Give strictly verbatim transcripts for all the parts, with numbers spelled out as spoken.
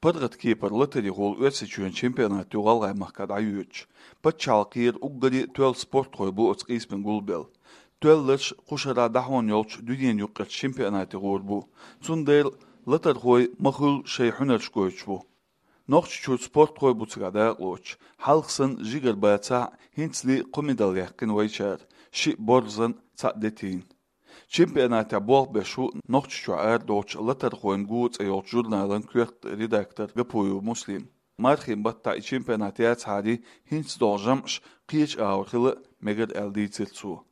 ПаргӀата кепара латарехула Оьрсийчоьнан чемпионат ю ГӀалгӀай махка дӀайоьдуш. Паччахьалкхера уггаре а тоьлла спортхой бу оцу къийсамна гулбелла. Тоьлларш кху шарахь дӀахьон йолчу дуьненан юккъерчу чемпионате гӀур бу. Цундела латархой ма-хуьллу шайн хьуьнарш гойтуш бу. Нохчийчуьра спортхой бу цигахь дакъалоцуш, хьалха санна жигара бацахь а, хӀинцале а кхо медаль яьккхина вайчара, шиъ борзан, цхьаъ детийн. Чемпионатехь болх беш ву Нохчийчохь арадолчу «Латархойн го» цӀе йолчу журналан коьрта редактор Гапуев Муслим. Мархийн баттахь и чемпионат яцахьара, хӀинца долу жамӀаш кхечу агӀор хила а мегар аьлла дийцира цо.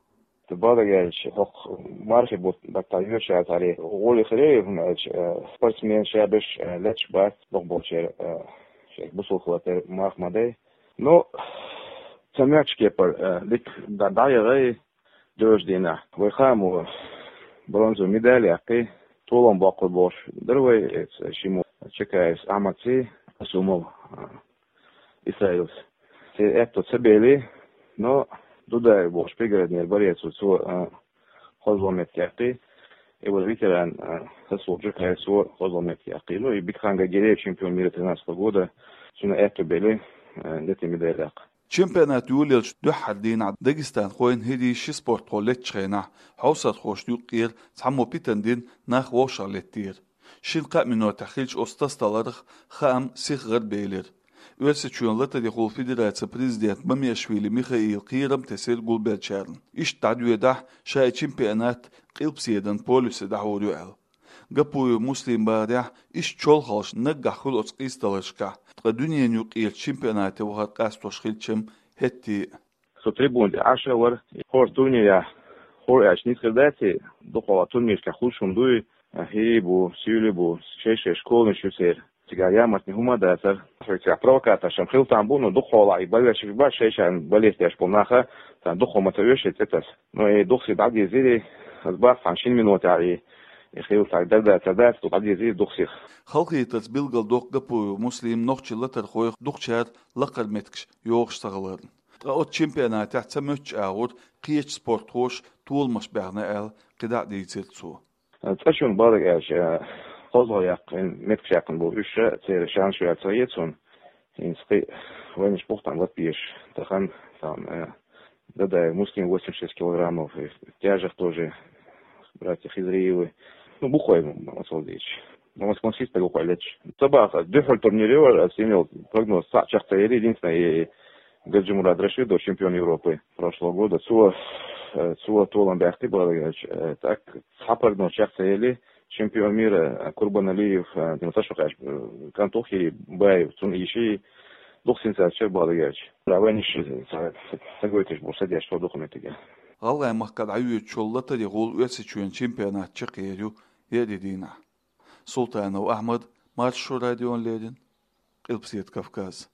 Ца бадагӀаьлча, хӀокху мархийн бут-, баттахь йоьшуш яцахьара, гӀоле хир ю, хӀунда аьлча, э, спортсмен ша берш, э, леташ бац, боху болчеран, э, шайх бусулба хилар тера марха ма дай. Ну, ца моьттучу кепара, э, дика дӀа-, дӀаяхьа, доьжу дийнахь. Вай хаам ву бронзовый медаль яккхий, толам боккхур болуш дара вай, э, шиммо Чакаевс Ахьмадций, Асумов, э, Исраилс. Церан аьтто ца бели, но Дудаев бохуш Пригороднера борец ву, цо, а, хозло меттиг яккхий. И вара ветеран, а, Расул Джукаев, цо хозло меттиг яккхий. Ну, и Бекхан Гагереев, чемпион мира тринадцатого года, цуьнан аьтто бели, а, детийн медаль яккха. Чемпионат йолаелчу дуьххьара дийнахь дагестанхойн хӀирийн ши спортхо леттачу хенахь, хьовсархошна юккъера цхьаммо питана дина нах вовшах леттера. Шина-кхаа минотехь хиллачу оцу тасадаларх хаам сиха гӀарабелира. Оьрсийчоьнан латарехула федерацин президента Мамиашвили Михаила кхерам тесира гулбеллачарна. Иштта дӀадоьдахь, ша и чемпионат къилбаседан полюсе дӀахьур ю аьлла. Гапуев Муслим бахарехь, иштта чолхаллаш наггахь хуьлу оцу къийсадаларшкахь, ткъа дуьненан юккъерчу чемпионате вахар къастош хилча-м хӀетте а. Со трибуна тӀе Ӏаш а вара, хӀора турнирехь хӀора аьлча нийса хир дац и, дукхахьолахь турнирашкахь хуьлуш хӀума дуй, хӀирий бу, сийлий бу, шай-шай школанаш ю церан. Цигахь ямартна хӀума а дацара. Цигахь провокаторш-м хила там бу, но дукхахьолахь и болельщикаш бац, шай-шайна болеть деш болу наха, царна дукхах ма ца оьшу и цӀе таса. Но и духсий дӀадирзира, аса бац цхьана шина минотехь и, и хила цхьа дерда ца дац, дӀадирзира духсих. Халахетарца билгалдоккху Гапуев Муслима нохчийн латархойх дукхачара лакхара меттигаш йохуш ца хиларна. Ткъа оцу чемпионатехь ца моьттучу агӀор кхечу спортхоша толамаш баьхна аьлла, кхидӀа а дийцира цо. ЦӀа чунна бала аьлча, хозло яккхина, меттигаш яьккхина бу уьш, церан шанс ю аьлла ца хета суна. ХӀинца кхин а вайнаш бу-кх там лата безаш, тахана, там, э, Дадаев Муслим восемьдесят шесть килограммов, и в тяжах тоже братья Хизриевы. Ну, бу-кх вай, м, м, оццул дийцича. Ну, ас-, ас-, стаг ву-кх вай леташ. Ца баха, дуьххьара турнир ю вара, ас йина йолу прогноз цхьаъ чекх ца яри, единственное, и Гаджимурад Рашидов, чемпион Европы прошлого года, цо, э, цо толам баьккхи бала аьлча, э, так, цхьа прогноз чекх ца яли, чемпион мира, э, Курбаналиев, э, ну, ца шо кхаьчна, э, кӀант ву-кх и Баев, цунна ийши, дукха сенсаци чара бала аьлча. Да, вайнаш, э, ца, ца, ца гойтуш бу, ца деш, со дукха меттиг. ГӀалгӀай махка дӀайоьдучу латарехула Оьрсийчоьнан чемпионат чекхъер ю еарин дийнахь. Султанов Ахьмад, Маршо радиона леррина, Къилбаседа Кавказ.